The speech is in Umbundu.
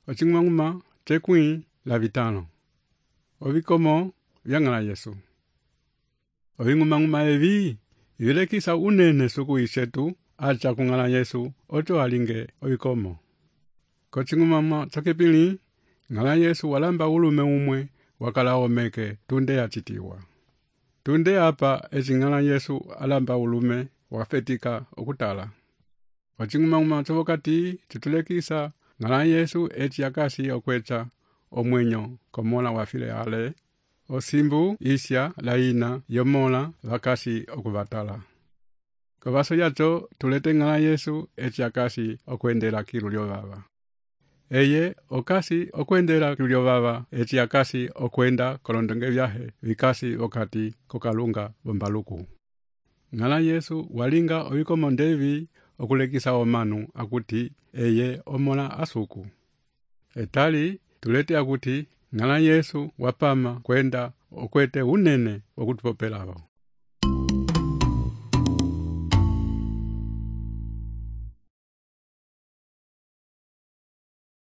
Ocing'umang'uma cekwĩ la vitãlo. Ovikomo vyang'ala Yesu. Oving'umang'uma evi vilekisa unene suku ishetu acha kung'ala Yesu ocho alinge ovikomo. Kocing'umang'uma cokipili ng'ala Yesu walamba ulume umwe wakala omeke tunde achitiwa. Tunde apa ezing'ala Yesu alamba ulume wafetika okutala. Ocing'umang'uma covokati citulekisa ng'ala Yesu eti akasi okwecha omwenyo komola wafile ale, osimbu isya laina yomola vakasi okuvatala. Kovaso yacho tulete ng'ala Yesu eti akasi okwendela kilu lyovava. Eye okasi okwendela kilu lyovava eti akasi okwenda kolondonge vyahe vikasi wakati kokalunga bombaluku. Ng'ala Yesu walinga ovikomo ndevi okulekisa omanu akuti eye omola asuku. Etali tulete akuti ng'ala Yesu wapama kwenda okwete unene okutupopelavo.